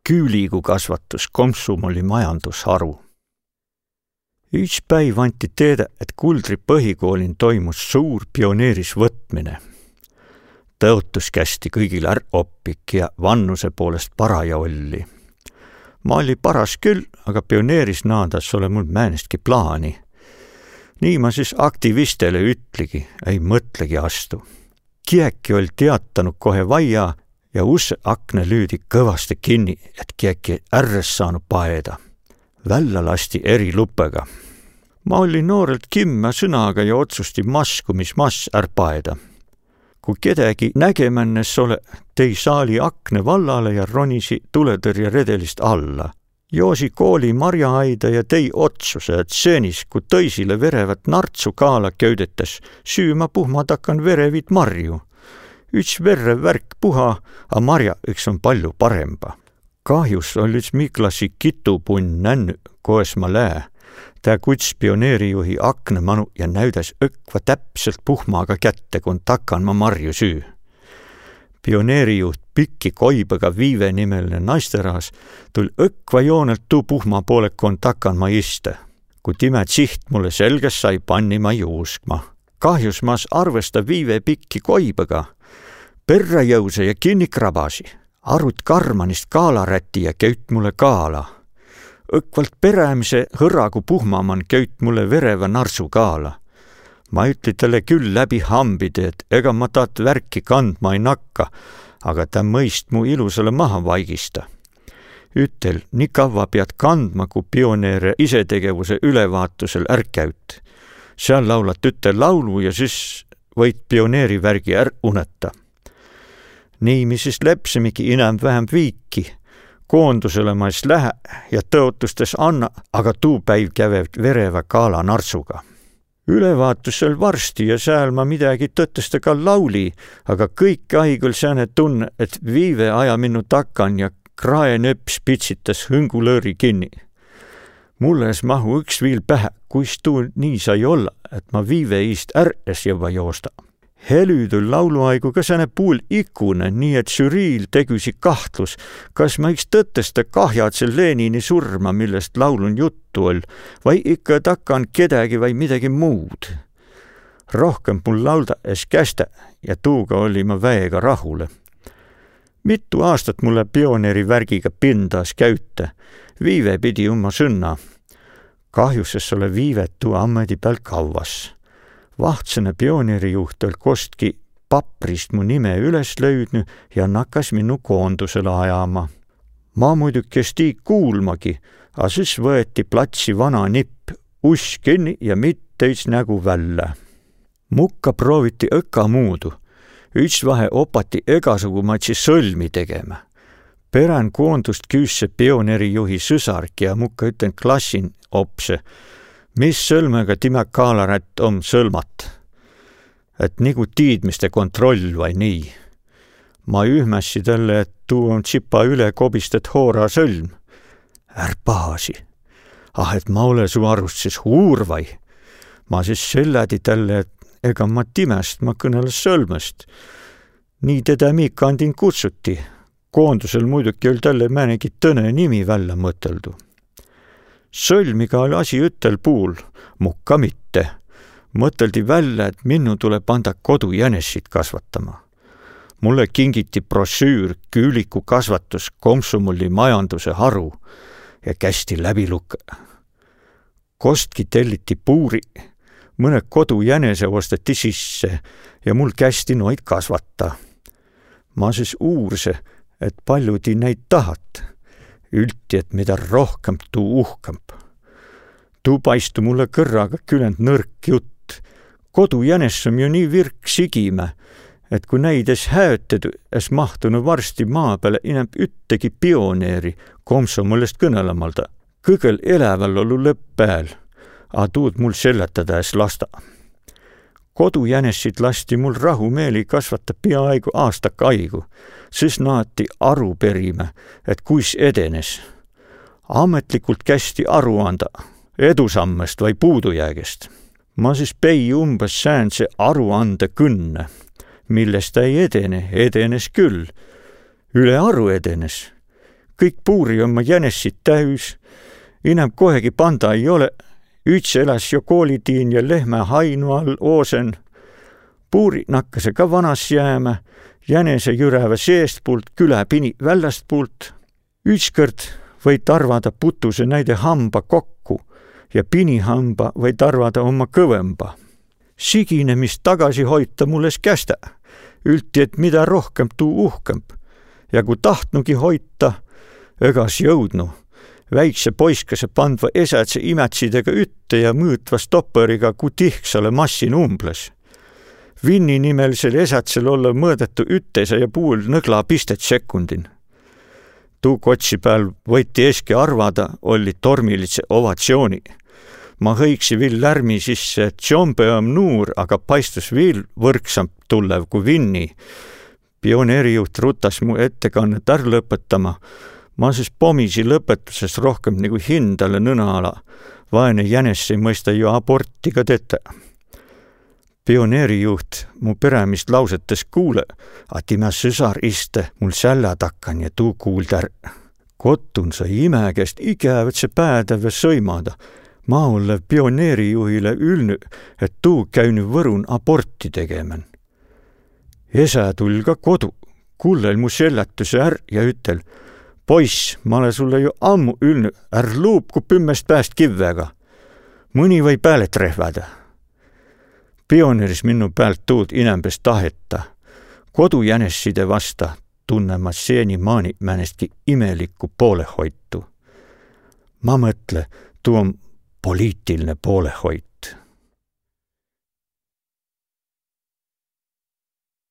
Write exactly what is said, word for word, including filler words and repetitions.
Küüligu kasvatus, komsomolli majandusharu. Üits päiv anti teedä, et Kuldri põhikoolin toimus suur pioneerisvõtmine. Tõotus kästi kõigil är oppik ja vannuse poolest paraja olli. Ma olli paras küll, aga pioneeris naadas ole mul määnestki plaani. Nii ma sis aktivistele ütligi, ei mõtlegi astu. Kiäki oll' teatanud, kohe vaia, ja usse akne lüüdi kõvasti kinni, et kiäki ärres saanu paeda. Vällä lasti eri lupega. Ma olli noorelt kimmä sõnaga ja otsusti masku, mis mas är paeda. Ku kedägi nägemännes ole, tei saali akne vallale ja ronisi tuletõrjeredelist alla. Joosi kooli marjaaida ja tei otsuse, et senis, ku tõisile verevät nartsu kaala köüdetäs, süü ma puhma takkan verevit marju. Üts verrev värk puha, a marja iks om pallu paremba. Kahjus oll' üts mi klassi kitupunn nännü, koes ma lää. Tää kuts pioneerijuhi akne manu ja näüdäs õkva täpselt puhmaga kätte, kon takan ma marju süü. Pioneerijuht Pikki Koibega Viive nimeline naisterahas tull' õkva joonelt tuu puhma poole, kon takan ma ista. Ku timä tsiht mulle selgäs sai, panni ma juuskma. Kahjus mas arvesta Viive Pikki Koibega. Perrä jõusa ja kinni krabasi. Arut karmanist kaalarätti ja köüt mulle kaala. Õkvalt perämise hõragu puhma man köüt mulle verevä narsu kaala. Ma ütli talle küll läbi hambide, et ega ma taad värki kandma ei nakka, aga tä mõist mu ilusale maha vaigista. Ütel, nii kavva piat kandma, ku pioneere isetegevuse ülevaatusel är käüt. Seal laulat ütte laulu ja sis võit pioneerivärgi är uneta. Nii mi sis lepsimigi inämb-vähämb viiki. Koondusele ma es lähe ja tõotustes anna, aga tuu päiv käve verevä kaala narsuga. Ülevaatusel varsti ja sääl ma midägi tõtõsta ka lauli, aga kõik aig oll' sääne tunne, et Viive aja minnu takan ja krae nööpis pitsitas hõngulõõri kinni. Mulle es mahu üks viil pähe, kuis tuu nii sai olla, et ma Viive iist är es jõvva joosta. Helü tull' laulu aigu ka sääne puul ikune, nii et žüriil tegüsi kahtlus, kas ma iks tõtõsta kahjadse Lenini surma, millest laulun juttu oll', vai ikka takan kedägi vai midägi muud. Rohkemb mul laulda es kästä ja tuuga olli ma väega rahule. Mitu aastat mulle pioneerivärgiga pindas käütä. Viive pidi umma sõnna. Kahjus es ole Viivet tuu ammedi pääl kavvas. Vahtsõne pioneerijuht oll' kostki paprist mu nime üles löüdnü ja nakas minnu koondusele ajama. Ma muiduki es tii kuulmagi, a sis võeti platsi vana nipp, uss kinni ja mitteis nägu vällä. Mukka prooviti õkka muudu. Üts vahe opati egasugumaidsi sõlmi tegema. Perän koondust küüsse pioneerijuhi sõsarki ja mukka üten klassin opse, mis sõlmega timä kaalarätt om sõlmat. Et nigu tiidmiste kontroll vai nii. Ma ühmässi talle, et tuu om tsipa üle kobistet hoora sõlm. Är pahasi. Ah, et ma ole su arust sis uur vai? Ma sis sellädi talle, et ega ma timäst, ma kõnele sõlmest. Nii tedä mi kandin kutsuti. Koondusel muiduki oll' talle määnegi tõne nimi vällä mõtõldu. Sõlmiga oll' asi ütel puul, mukka mitte. Mõtõldi vällä, et minnu tule panda kodujänessit kasvatama. Mulle kingiti brošüür Küüliku kasvatus, komsomolli majanduse haru ja kästi läbi lukõ. Kostki telliti puuri, mõnõ kodujänese osteti sisse ja mul kästi noid kasvata. Ma sis uurse, et pallu ti näid tahat. Ülti, et mida rohkemb, tuu uhkemb. Tuu paistu mulle kõrraga küländ nõrk jutt. Kodujänes om ju nii virk sigimä, et ku näid es häötedü, es mahtunu varsti maa pääle inämb üttegi pioneeri, komsomolest kõnõlõmalda. Kõgõl eläväl ollu lõpp pääl, a tuud mul sellätada es lasta. Kodujänessit lasti mul rahumeeli kasvata piaaigu aastak aigu, sis naati aru perimä, et kuis edenes. Ametlikult kästi aru anda edusammest vai puudujäägest. Ma sis pei umbes säändse aruandekõnne, millest ei edene, edenes küll. Ülearu edenes. Kõik puuri omma jänessit täüs, inämb kohegi panda ei ole. Üts eläs jo koolitiin ja lehmä hainu all oosen. Puuri nakkase ka vanas jäämä, jänese jürävä seestpult, külä pini vällästpult. Ütskõrd võit arvada, putuse näide hamba kokku ja pinihamba, võit arvada, omma kõvõmba. Sigine, mis tagasi hoita, mul es kästä. Ülti, et mida rohkemb, tuu uhkemb. Ja ku tahtnugi hoita, egas jõudnu. Väikse poiskase pandva esädse imätsidega ütte ja mõõtva stopperiga, ku tihksale massin umbles. Vinni nimelisel esädsel olle mõõdetu üttese ja puul nõgla pistet sekundin. Tuu kotsi pääl võiti eski arvada, olli tormilidse ovatsiooni. Ma hõiksi viil lärmi sisse, et tšombe om nuur, aga paistus viil võrksamp tullev ku Vinni. Pioneerijuht rutas mu ettekannet är lõpetama. Ma sis pomisi lõpetuses rohkemb nigu hindale nõna ala. Vaene jänes ei mõista jo aborti ka tetä. Pioneerijuht mu perämist lauset es kuule, a timä sõsar iste mul sälä takkan ja tuu kuuld är. Kottun sai imä käest igävätse päädävve sõimada. Ma ollev pioneerijuhile ülnü, et tuu käünü Võrun aborti tegemän. Esä tull ka kodu, kullel mu sellätüse är ja ütel: Poiss, ma ole sulle jo ammu ülnü, är luupku pümmest pääst kivvega. Mõni või pääle trehvädä. Pioneeris minnu päält tuud inämb es taheta. Kodujänesside vasta tunne ma seenimaani määnestki imelikku poolehoitu. Ma mõtle, tuu om poliitilne poolehoit.